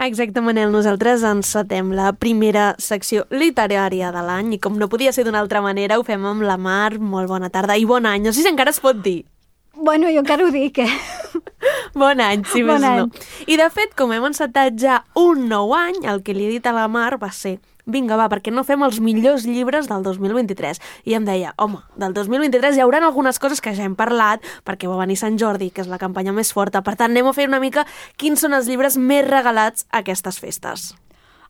Exacte, Manel. Nosaltres encetem la primera secció literària de l'any i com no podia ser d'una altra manera ho fem amb la Mar. Molt bona tarda i bon any. No sé si encara es pot dir. Bueno, jo encara ho dic, Bon any, si més no. I de fet, com hem encetat ja un nou any, el que li he dit a la Mar va ser vinga, va, perquè no fem els millors llibres del 2023. I em deia, home, del 2023 hi haurà algunes coses que ja hem parlat, perquè va venir Sant Jordi, que és la campanya més forta. Per tant, anem a fer una mica quins són els llibres més regalats a aquestes festes.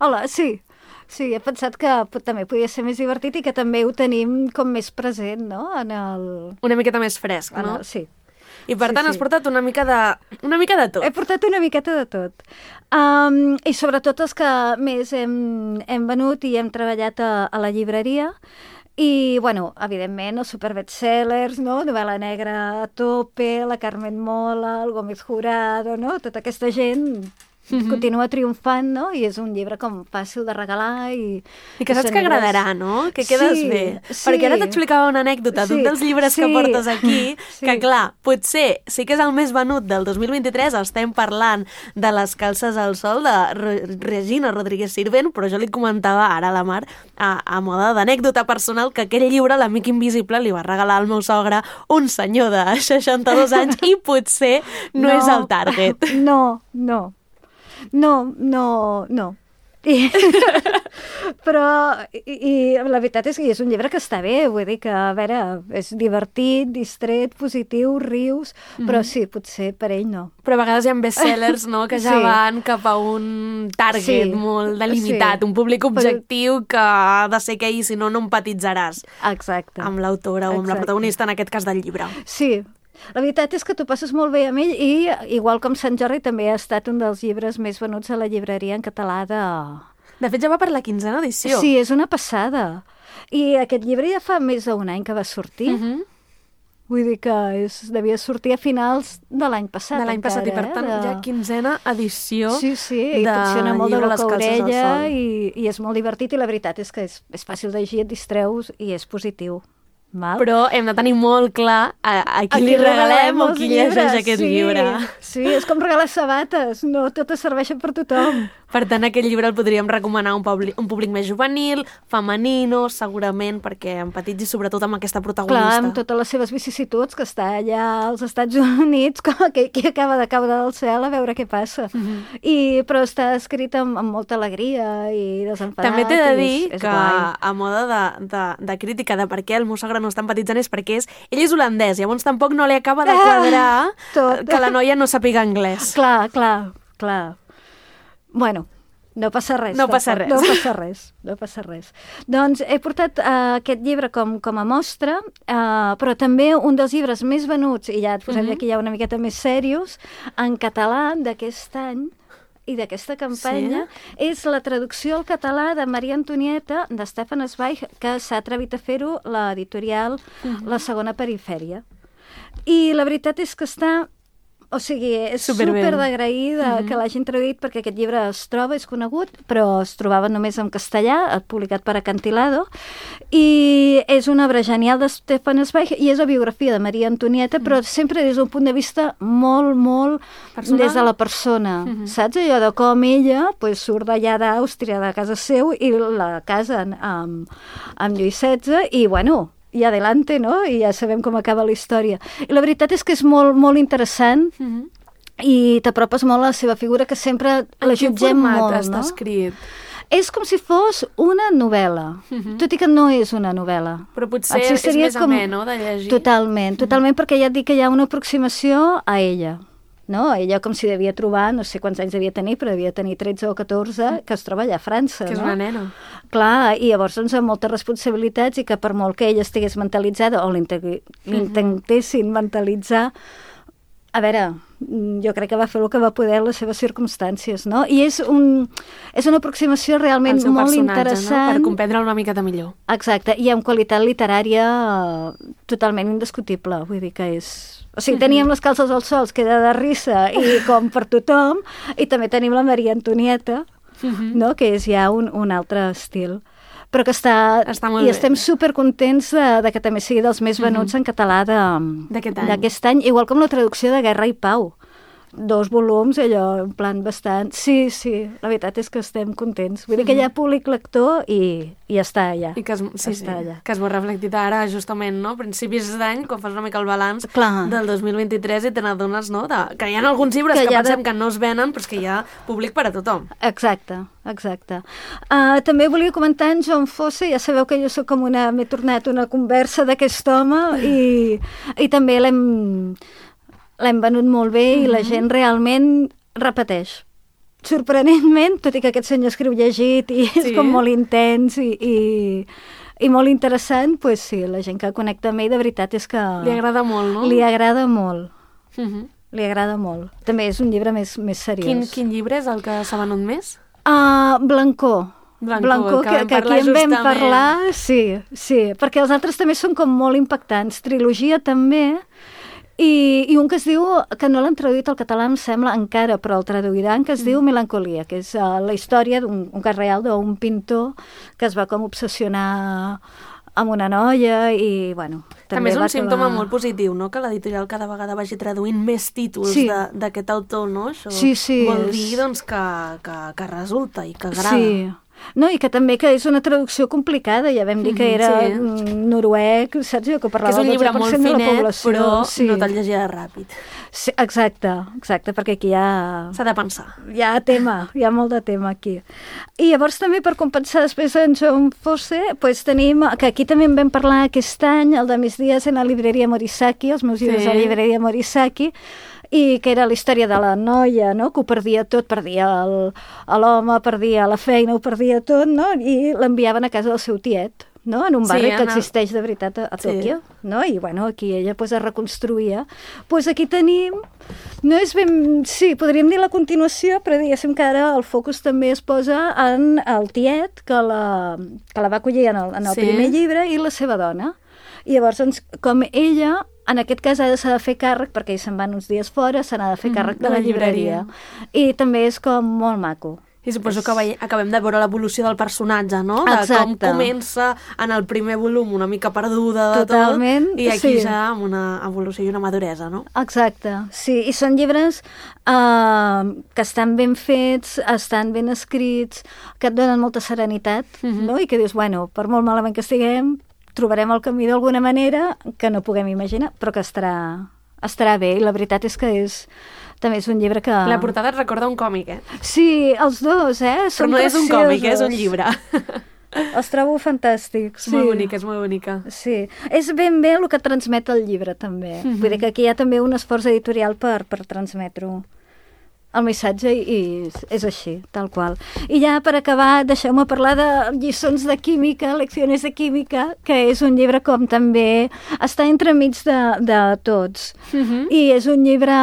Hola, sí. Sí, he pensat que també podia ser més divertit i que també ho tenim com més present, no? Una miqueta més fresc, no? Sí. I per tant has portat una mica de tot. He portat una miqueta de tot. I sobretot els que més hem venut i hem treballat a la llibreria. I, bueno, evidentment, els superbestsellers, no? Novel·la negra a tope, la Carmen Mola, el Gómez Jurado, no? Tota aquesta gent continua triomfant, no? I és un llibre com fàcil de regalar i que saps que agradarà, no? Que quedes bé. Sí. Perquè ara t'explicava una anècdota d'un dels llibres que portes aquí, que clar, potser sí que és el més venut del 2023, estem parlant de Les calces al sol, de Regina Rodríguez Sirvent, però jo li comentava ara a la Mar, a moda d'anècdota personal, que aquell llibre, L'amic invisible, li va regalar al meu sogre un senyor de 62 anys i potser no és el target. No. Però la veritat és que és un llibre que està bé, vull dir que, a veure, és divertit, distret, positiu, rius, però sí, potser per ell no. Però a vegades hi ha bestsellers, no?, que ja van cap a un target molt delimitat, un públic objectiu que ha de ser aquell, si no, no empatitzaràs. Exacte. Amb l'autora o amb la protagonista, en aquest cas del llibre. Sí. La veritat és que t'ho passes molt bé amb ell i, igual com Sant Jordi, també ha estat un dels llibres més venuts a la llibreria en català de... De fet, ja va per la 15a edició. Sí, és una passada. I aquest llibre ja fa més d'un any que va sortir. Vull dir que devia sortir a finals de l'any passat. De l'any passat, i per tant, ja 15a edició. Sí, i funciona molt de boca a orella i és molt divertit i la veritat és que és fàcil de llegir, et distreus i és positiu. Mal. Però hem de tenir molt clar a qui li regalem o qui llegeix aquest llibre. Sí, és com regalar sabates, no totes serveixen per tothom. Per tant, aquest llibre el podríem recomanar a un públic més juvenil, femenino, segurament, perquè empatitzi sobretot amb aquesta protagonista. Clar, amb totes les seves vicissituds, que està allà als Estats Units, que acaba de caure del cel a veure què passa. Però està escrit amb molta alegria i desenfadat. També t'he de dir que, a moda de crítica de per què el meu sogre no està empatitzant, és perquè ell és holandès, llavors tampoc no li acaba de quadrar que la noia no sàpiga anglès. Clar. Bueno, no passa res. No passa res. Doncs he portat aquest llibre com a mostra, però també un dels llibres més venuts, i ja et posem aquí ja una miqueta més serios, en català d'aquest any i d'aquesta campanya, és la traducció al català de Maria Antonieta, de Stefan Zweig, que s'ha atrevit a fer-ho l'editorial La Segona Perifèria. I la veritat és que està... O sigui, és super d'agraïda que l'hagin traduït perquè aquest llibre es troba, és conegut, però es trobava només en castellà, publicat per Acantilado, i és una obra genial de Stefan Zweig i és la biografia de Maria Antonieta, però sempre des d'un punt de vista molt personal? Des de la persona, saps? Allò de com ella surt d'allà d'Àustria, de casa seu, i la casen amb Lluís XVI, i bueno... i adelante, no? I ja sabem com acaba la història. I la veritat és que és molt interessant i t'apropes molt a la seva figura, que sempre la jutgem molt, no? En quin format està escrit? És com si fos una novel·la, tot i que no és una novel·la. Però potser és més amè, no?, de llegir. Totalment, perquè ja et dic que hi ha una aproximació a ella. No? Ella com si devia trobar, no sé quants anys devia tenir, però devia tenir 13 o 14, que es troba allà a França. Que és una nena. Clar, i llavors amb moltes responsabilitats i que per molt que ella estigués mentalitzada o l'intentessin mentalitzar, a veure, jo crec que va fer el que va poder en les seves circumstàncies, no? I és una aproximació realment molt interessant. No? Per comprendre-la una miqueta millor. Exacte, i amb qualitat literària totalment indiscutible, vull dir que és... O sigui, teníem Les calces al sol, que era de risa i com per tothom, i també tenim la Maria Antonieta, no? Que és ja un altre estil. Però que està molt bé. I estem supercontents de que també sigui dels més venuts en català d'aquest any, igual com la traducció de Guerra i Pau. 2 volums, allò, en plan bastant... Sí, la veritat és que estem contents. Vull dir que hi ha públic lector i està allà. I que que es veu reflectit ara, justament, no? A principis d'any, quan fas una mica el balanç del 2023 i te n'adones, no? Que hi ha alguns llibres que pensem que no es venen, però és que hi ha públic per a tothom. Exacte. També volia comentar en John Fosse, ja sabeu que jo soc com m'he tornat una conversa d'aquest home i també l'hem venut molt bé i la gent realment repeteix. Sorprenentment, tot i que aquest senyor escriu llegit i és com molt intens i molt interessant, doncs sí, la gent que connecta amb ell de veritat és que... Li agrada molt, no? Li agrada molt. Li agrada molt. També és un llibre més seriós. Quin llibre és el que s'ha venut més? Blancó, que aquí en vam parlar, sí, perquè els altres també són com molt impactants. Trilogia també, i un que es diu, que no l'han traduït al català em sembla encara, però el traduiran, que es diu Melancolia, que és la història d'un cas real d'un pintor que es va com obsessionar amb una noia i, bueno... També és un símptoma molt positiu, no?, que l'editorial cada vegada vagi traduint més títols d'aquest autor, no? Això vol dir, doncs, que resulta i que agrada. Sí. No, i que també que és una traducció complicada, ja vam dir que era noruec, saps? Que parlava el 12% de la població. Que és un llibre molt finet, però no te'l llegirà ràpid. Sí, exacte, perquè aquí s'ha de pensar. Hi ha molt de tema aquí. I llavors també per compensar després en John Fosse, doncs tenim, que aquí també en vam parlar aquest any, el de Mis dies en la llibreria Morisaki, els meus llibres a la llibreria Morisaki, i que era la història de la noia, no?, que ho perdia tot, perdia l'home, perdia la feina, ho perdia tot, no?, i l'enviaven a casa del seu tiet, no?, en un barri que existeix de veritat a Tòquio, no?, i bueno, aquí ella es reconstruïa. Doncs aquí tenim, no és ben... Sí, podríem dir la continuació, però diguéssim que ara el focus també es posa en el tiet que la va acollir en el primer llibre i la seva dona. I llavors, doncs, com ella... En aquest cas s'ha de fer càrrec, perquè ell se'n van uns dies fora, se n'ha de fer càrrec de la llibreria. I també és com molt maco. I suposo que acabem de veure l'evolució del personatge, no? De com comença en el primer volum una mica perduda de tot, i aquí ja amb una evolució i una maduresa, no? Exacte, sí. I són llibres que estan ben fets, estan ben escrits, que et donen molta serenitat, no? I que dius, bueno, per molt malament que estiguem, trobarem el camí d'alguna manera que no puguem imaginar, però que estarà bé. I la veritat és que també és un llibre que... La portada et recorda un còmic, Sí, els dos, Però no és un còmic, és un llibre. Els trobo fantàstics. Molt bonica, és molt bonica. Sí, és ben bé el que transmet el llibre, també. Vull dir que aquí hi ha també un esforç editorial per transmetre-ho. El missatge i és així, tal qual. I ja per acabar, deixeu-me parlar de lliçons de química, leccions de química, que és un llibre com també està entremig de tots. I és un llibre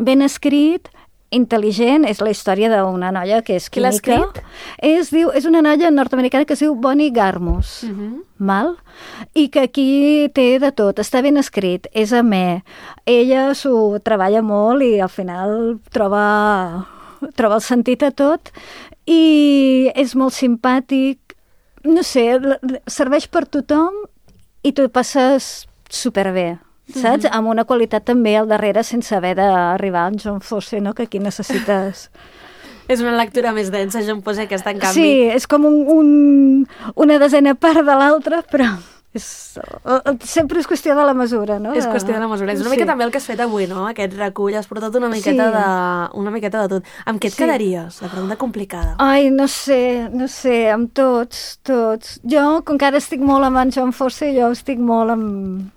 ben escrit, intel·ligent, és la història d'una noia que és química. Qui l'ha escrit? És una noia nord-americana que es diu Bonnie Garmus. Mal? I que aquí té de tot, està ben escrit, és amè. Ella s'ho treballa molt i al final troba el sentit a tot i és molt simpàtic. No sé, serveix per tothom i tu passes superbé. Saps? Amb una qualitat també al darrere sense haver d'arribar amb John Fosse, no? Que aquí necessites... És una lectura més densa, John Fosse, aquesta, en canvi. Sí, és com una desena part de l'altra, però sempre és qüestió de la mesura, no? És qüestió de la mesura. És una mica també el que has fet avui, no? Aquest recull, has portat una miqueta de tot. Amb què et quedaries? La pregunta complicada. Ai, no sé, amb tots. Jo, com que ara estic molt amb en John Fosse, estic molt amb...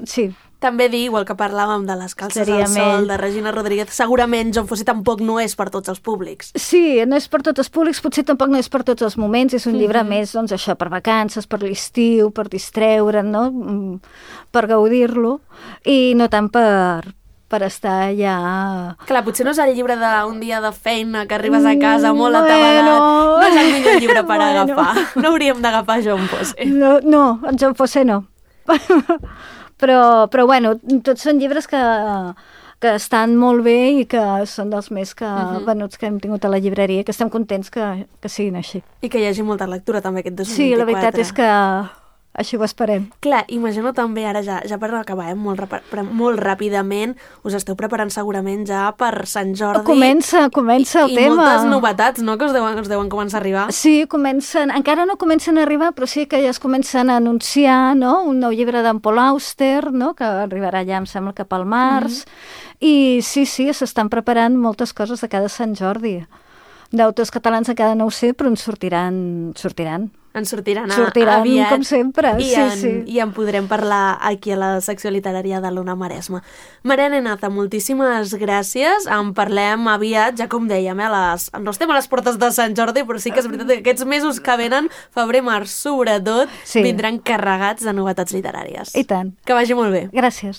Sí. També dir, igual que parlàvem de Les calces al sol, de Regina Rodríguez, segurament John Fosse tampoc no és per tots els públics. Sí, no és per tots els públics, potser tampoc no és per tots els moments, és un llibre més, doncs això, per vacances, per l'estiu, per distreure'n, no? Per gaudir-lo, i no tant per estar allà... Clar, potser no és el llibre d'un dia de feina que arribes a casa molt atabalat, no és el millor llibre per agafar. No hauríem d'agafar John Fosse. No, en John Fosse no. Però bueno, tots són llibres que estan molt bé i que són dels més venuts que hem tingut a la llibreria, que estem contents que siguin així. I que hi hagi molta lectura també aquest 2024. Sí, la veritat és que Així ho esperem. Clar, imagino també, ara ja per acabar, molt ràpidament, us esteu preparant segurament ja per Sant Jordi. Comença el tema. I moltes novetats, no?, que us deuen començar a arribar. Sí, encara no comencen a arribar, però sí que ja es comencen a anunciar, no?, un nou llibre d'en Paul Auster, no?, que arribarà ja, em sembla, cap al març. I sí, s'estan preparant moltes coses de cada Sant Jordi. D'autors catalans encara no ho sé, però en sortiran. En sortiran aviat, com sempre. I en podrem parlar aquí a la secció literària de l'Ona Maresma. Mariana Enaza, moltíssimes gràcies. En parlem aviat, ja com dèiem, no estem a les portes de Sant Jordi, però sí que és veritat que aquests mesos que venen, febrer, març, sobretot, vindran carregats de novetats literàries. I tant. Que vagi molt bé. Gràcies.